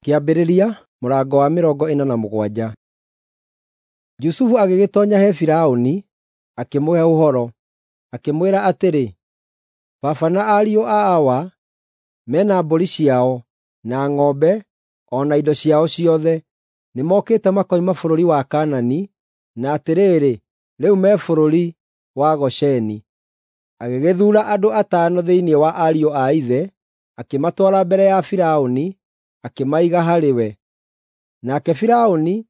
Kĩambĩrĩria mũrango wa 47. Jusufu agĩgĩtoonya he Firaũni, akĩmũhe ũhoro, akĩmwĩra atĩrĩ, “Baba na ariũ a awa me na mbũri ciao, na ng'ombe, o na indo ciao ciothe. Nĩmokĩte makoima bũrũri wa Kaanani, na atĩrĩrĩ, rĩu me bũrũri wa Gosheni.” Agĩgĩthuura andũ atano thĩinĩ wa ariũ a ithe, akĩmatwara mbere ya Firaũni, akĩmaiga harĩ we. Nake Firaũni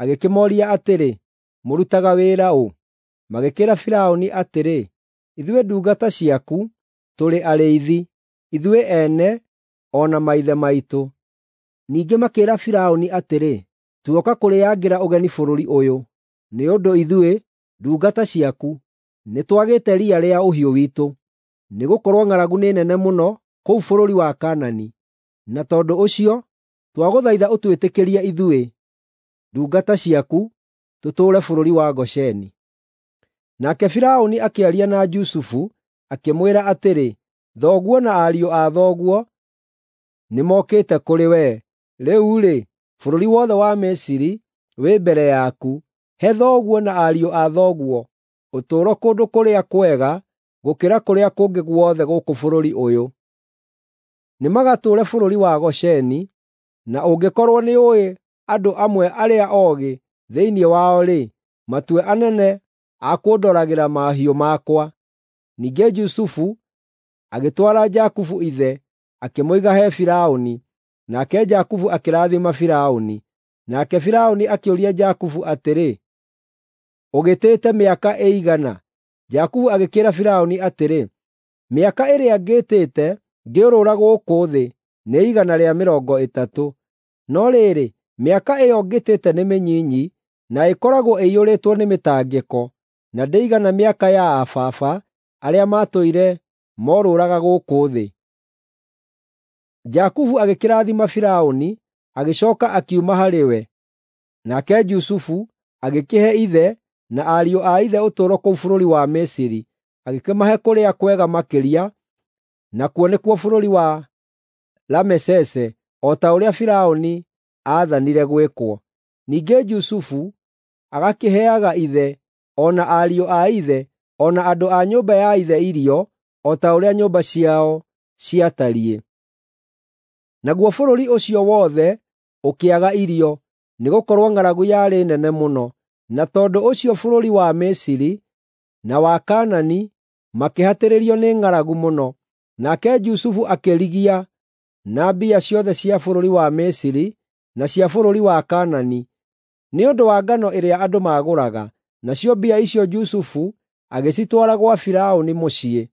agĩkĩmooria atĩrĩ, “Mũrutaga wĩra ũ?” Magĩkĩĩra Firaũni atĩrĩ, “Ithuĩ ndungata ciaku tũrĩ arĩithi, ithuĩ ene o na maithe maitũ.” Ningĩ makĩĩra Firaũni atĩrĩ, “Tuoka kũrĩangĩra ũgeni bũrũri ũyũ, nĩ ũndũ ithuĩ, ndungata ciaku, nĩtwagĩte riya rĩa ũhiũ witũ, nĩgũkorwo ng'aragu nĩ nene mũno kũu bũrũri wa Kaanani. Na tondũ ũcio twagũthaitha ũtwĩtĩkĩrie ithuĩ, ndungata ciaku, tũtũũre bũrũri wa Gosheni.” Nake Firaũni akĩaria na Jusufu, akĩmwĩra atĩrĩ, “Thoguo na ariũ a thoguo nĩmokĩte kũrĩ wee. Rĩu-rĩ, bũrũri wothe wa Misiri wĩ mbere yaku. He thoguo na ariũ a thoguo ũtũũro kũndũ kũrĩa kwega gũkĩra kũrĩa kũngĩ guothe gũkũ bũrũri ũyũ. Nĩmagatũũre bũrũri wa Gosheni, na ũngĩkorwo nĩũũĩ andũ amwe arĩa oogĩ thĩinĩ wao-rĩ, matue anene a kũndoragĩra mahiũ makwa.” Ningĩ Jusufu agĩtwara Jakubu ithe, akĩmũiga he Firaũni, nake Jakubu akĩrathima Firaũni. Nake Firaũni akĩũria Jakubu atĩrĩ, “Ũgĩtĩte mĩaka ĩigana?” Jakubu agĩkĩĩra Firaũni atĩrĩ, “Mĩaka ĩrĩa ngĩtĩte ngĩũrũra gũkũ thĩ nĩ 130. No rĩrĩ, mĩaka ĩyo ngĩtĩte nĩ mĩnyinyi na ĩkoragwo ĩiyũrĩtwo nĩ mĩtangĩko, na ndĩigana mĩaka ya aa baba arĩa maatũire morũũraga gũkũ thĩ.” Jakubu agĩkĩrathima Firaũni, agĩcooka akiuma harĩ we. Nake Jusufu agĩkĩhe ithe na ariũ a ithe ũtũũro kũu bũrũri wa Misiri, agĩkĩmahe kũrĩa kwega makĩria, nakuo nĩkuo bũrũri wa Ramesese, o ta ũrĩa Firaũni aathanire gwĩkwo. Ningĩ Jusufu agakĩheaga ithe, o na ariũ a ithe, o na andũ a nyũmba ya ithe irio, o ta ũrĩa nyũmba ciao ciatariĩ. Naguo bũrũri ũcio wothe ũkĩaga irio, nĩgũkorwo ng'aragu yarĩ nene mũno. Na tondũ ũcio bũrũri wa Misiri na wa Kaanani makĩhatĩrĩrio nĩ ng'aragu mũno. Nake Jusufu akĩrigia na mbia ciothe cia bũrũri wa Misiri na cia bũrũri wa Kaanani, nĩ ũndũ wa ngano ĩrĩa andũ maagũraga. Nacio mbia icio Jusufu agĩcitwara gwa Firaũni mũciĩ.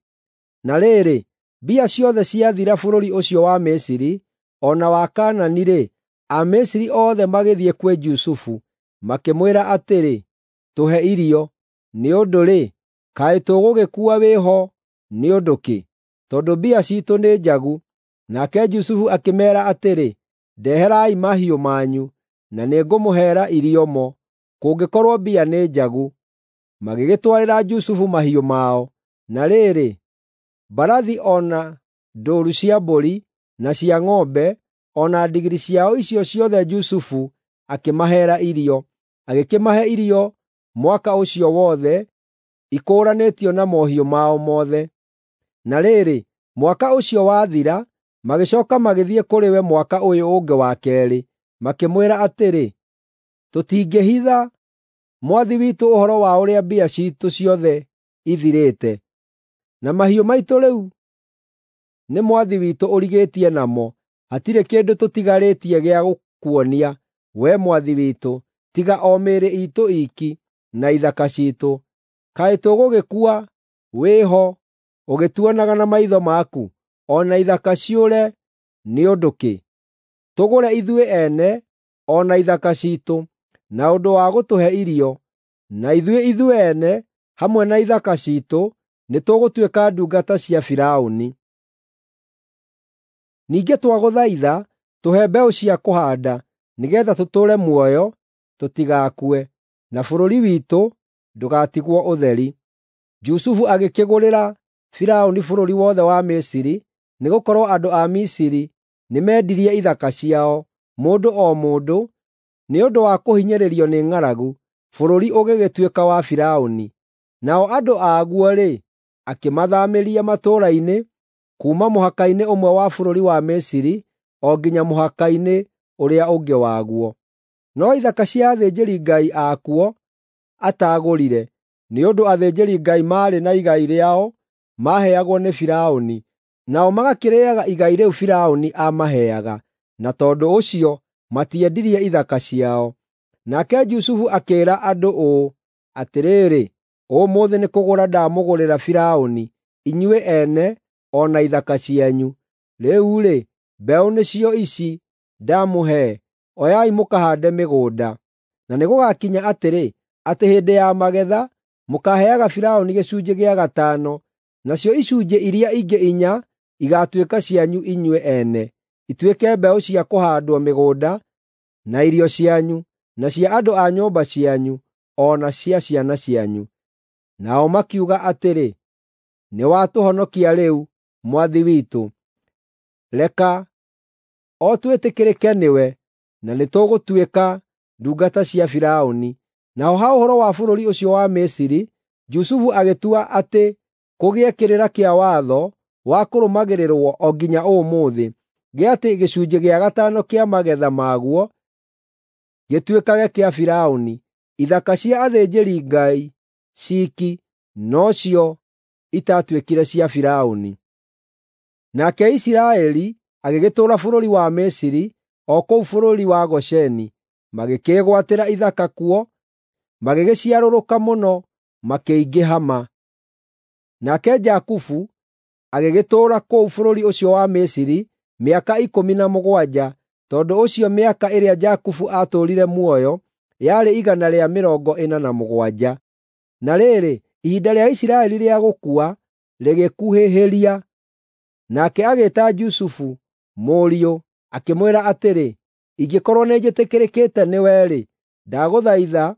Na rĩrĩ, mbia ciothe ciathira bũrũri ũcio wa Misiri o na wa Kaanani-rĩ, Amisiri othe magĩthiĩ kwĩ Jusufu, makĩmwĩra atĩrĩ, “Tũhe irio, nĩ ũndũ-rĩ, kaĩ tũgũgĩkua wĩho nĩ ũndũ kĩ? Tondũ mbia ciitũ nĩ njagu.” Nake Jusufu akĩmeera atĩrĩ, “Ndeherai mahiũ manyu, na nĩngũmũheera irio mo, kũngĩkorwo mbia nĩ njagu.” Magĩgĩtwarĩra Jusufu mahiũ mao. Na rĩrĩ, mbarathi o na ndũũru cia mbũri na cia ng'ombe, o na ndigiri ciao icio ciothe Jusufu akĩmaheera irio. Agĩkĩmahe irio mwaka ũcio wothe, ikũũranĩtio na mohiũ mao mothe. Na rĩrĩ, mwaka ũcio wathira, magĩcooka magĩthiĩ kũrĩ we mwaka ũyũ ũngĩ wa keerĩ, makĩmwĩra atĩrĩ, “Tũtingĩhitha mwathi witũ ũhoro wa ũrĩa mbia ciitũ ciothe ithirĩte. Na mahiũ maitũ rĩu nĩ mwathi witũ ũrigĩtie namo. Hatirĩ kĩndũ tũtigarĩtie gĩa gũkuonia, wee mwathi witũ, tiga o mĩĩrĩ iitũ iiki na ithaka ciitũ. Kaĩ tũgũgĩkua wĩho ũgĩtuonaga na maitho maku, o na ithaka ciũre nĩ ũndũ kĩ? Tũgũre ithuĩ ene o na ithaka ciitũ, na ũndũ wa gũtũhe irio, na ithuĩ ithuene hamwe na ithaka ciitũ nĩtũgũtuĩka ndungata cia Firaũni. Ningĩ twagũthaitha tũhe mbeũ cia kũhaanda, nĩgeetha tũtũũre muoyo tũtigakue, na bũrũri witũ ndũgatigwo ũtheri.” Jusufu agĩkĩgũrĩra Firaũni bũrũri wothe wa Misiri, nĩgũkorwo andũ a Misiri nĩmendirie ithaka ciao, mũndũ o mũndũ, nĩ ũndũ wa kũhinyĩrĩrio nĩ ng'aragu, bũrũri ũgĩgĩtuĩka wa Firaũni. Nao andũ aguo-rĩ, akĩmathaamĩria matũũra-inĩ, kuuma mũhaka-inĩ ũmwe wa bũrũri wa Misiri o nginya mũhaka-inĩ ũrĩa ũngĩ waguo. No ithaka cia athĩnjĩri-ngai akuo ataagũrire, nĩ ũndũ athĩnjĩri-Ngai maarĩ na igai rĩao maaheagwo nĩ Firaũni, nao magakĩrĩĩaga igai rĩu Firaũni aamaheaga, na tondũ ũcio matiendirie ithaka ciao. Nake Jusufu akĩĩra andũ ũũ, “Atĩrĩrĩ, ũmũthĩ nĩkũgũra ndamũgũrĩra Firaũni, inyuĩ ene o na ithaka cianyu. Rĩu-rĩ, mbeũ nĩcio ici ndamũhe, oyai mũkahaande mĩgũnda. Na nĩgũgakinya atĩrĩ, atĩ hĩndĩ ya magetha mũkaaheaga Firaũni gĩcunjĩ gĩa gatano, nacio icunjĩ iria ingĩ inya igaatuĩka cianyu inyuĩ ene, ituĩke mbeũ cia kũhaandwo mĩgũnda, na irio cianyu, na cia andũ a nyũmba cianyu, o na cia ciana cianyu.” Nao makiuga atĩrĩ, “Nĩwatũhonokia rĩu, mwathi witũ. Reka o twĩtĩkĩrĩke nĩwe, na nĩtũgũtuĩka ndungata cia Firaũni.” Naho ha ũhoro wa bũrũri ũcio wa Misiri, Jusufu agĩtua atĩ kũgĩe kĩrĩra kĩa watho wa kũrũmagĩrĩrwo o nginya ũmũthĩ, gĩa atĩ gĩcunjĩ gĩa gatano kĩa magetha maguo gĩtuĩkage kĩa Firaũni. Ithaka cia athĩnjĩri-Ngai ciiki nocio itaatuĩkire cia Firaũni. Nake Isiraeli agĩgĩtũũra bũrũri wa Misiri, o kũu bũrũri wa Gosheni. Magĩkĩĩgwatĩra ithaka kuo, magĩgĩciarũrũka mũno, makĩingĩha ma. Nake Jakubu agĩgĩtũũra kũu bũrũri ũcio wa Misiri mĩaka 17, tondũ ũcio mĩaka ĩrĩa Jakubu aatũũrire muoyo yarĩ 147. Na rĩrĩ, ihinda rĩa Isiraeli rĩa gũkua rĩgĩkuhĩhĩria. Nake agĩĩta Jusufu, mũriũ, akĩmwĩra atĩrĩ, “Ingĩkorwo nĩnjĩtĩkĩrĩkĩte nĩwe-rĩ, ndagũthaitha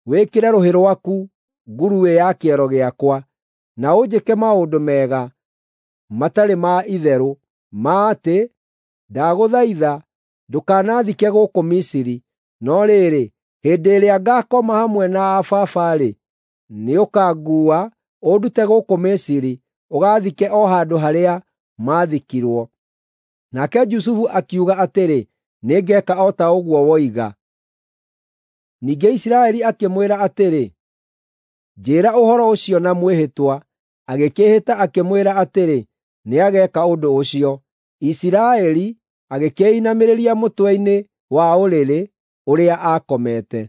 wĩkĩre rũhĩ rwaku nguruĩ ya kĩero gĩakwa, na ũnjĩke maũndũ mega matarĩ ma itherũ, ma atĩ, ndagũthaitha ndũkanaathike gũkũ Misiri. No rĩrĩ, hĩndĩ ĩrĩa ngaakoma hamwe na aa baba-rĩ, nĩũkanguua ũndute gũkũ Misiri, ũgaathike o handũ harĩa maathikirwo.” Nake Jusufu akiuga atĩrĩ, “Nĩngeeka o ta ũguo woiga.” Ningĩ Isiraeli akĩmwĩra atĩrĩ, “Njĩĩra ũhoro ũcio na mwĩhĩtwa.” Agĩkĩĩhĩta akĩmwĩra atĩrĩ, nĩageeka ũndũ ũcio. Isiraeli agĩkĩinamĩrĩria mũtwe-inĩ wa ũrĩrĩ ũrĩa aakomete.